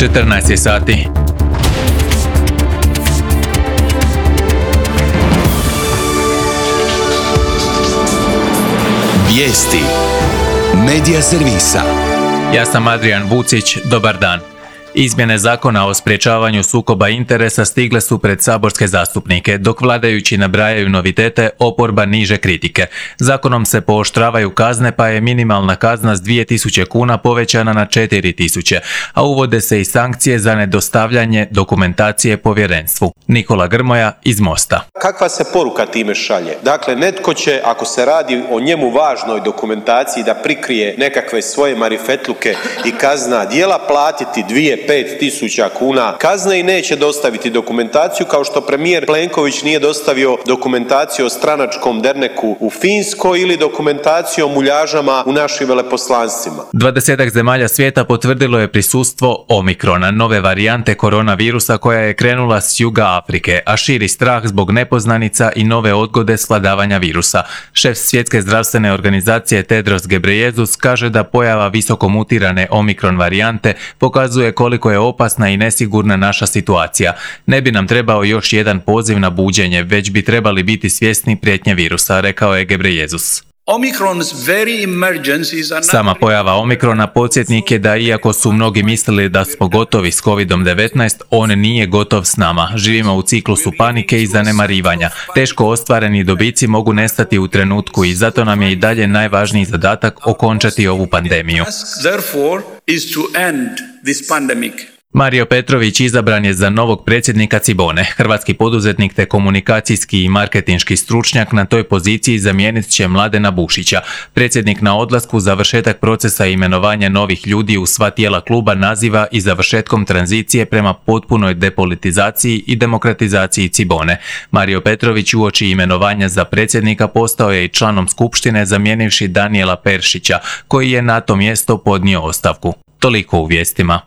14 je sati. Vijesti Medija servisa. Ja sam Adrian Vucić, dobar dan. Izmjene zakona o sprječavanju sukoba interesa stigle su pred saborske zastupnike, dok vladajući nabrajaju novitete, oporba niže kritike. Zakonom se pooštravaju kazne, pa je minimalna kazna s 2000 kuna povećana na 4000, a uvode se i sankcije za nedostavljanje dokumentacije povjerenstvu. Nikola Grmoja iz Mosta. Kakva se poruka time šalje? Dakle, netko će, ako se radi o njemu važnoj dokumentaciji, da prikrije nekakve svoje marifetluke i kazna djela, platiti 5.000 kuna kazne i neće dostaviti dokumentaciju, kao što premijer Plenković nije dostavio dokumentaciju o stranačkom derneku u Finskoj ili dokumentaciju o muljažama u našim veleposlanstvima. 20 zemalja svijeta potvrdilo je prisustvo Omikrona, nove varijante koronavirusa koja je krenula s juga Afrike, a širi strah zbog nepoznanica i nove odgode svladavanja virusa. Šef Svjetske zdravstvene organizacije Tedros Ghebreyesus kaže da pojava visoko mutirane Omikron varijante pokazuje koliko je opasna i nesigurna naša situacija. Ne bi nam trebao još jedan poziv na buđenje, već bi trebali biti svjesni prijetnje virusa, rekao je Ghebreyesus. Sama pojava Omikrona podsjetnik je da iako su mnogi mislili da smo gotovi s COVID-19, on nije gotov s nama. Živimo u ciklusu panike i zanemarivanja. Teško ostvareni dobici mogu nestati u trenutku i zato nam je i dalje najvažniji zadatak okončati ovu pandemiju. Mario Petrović izabran je za novog predsjednika Cibone. Hrvatski poduzetnik te komunikacijski i marketinški stručnjak na toj poziciji zamijenit će Mladena Bušića. Predsjednik na odlasku završetak procesa imenovanja novih ljudi u sva tijela kluba naziva i završetkom tranzicije prema potpunoj depolitizaciji i demokratizaciji Cibone. Mario Petrović uoči imenovanja za predsjednika postao je i članom skupštine zamijenivši Danijela Peršića, koji je na to mjesto podnio ostavku. Toliko u vijestima.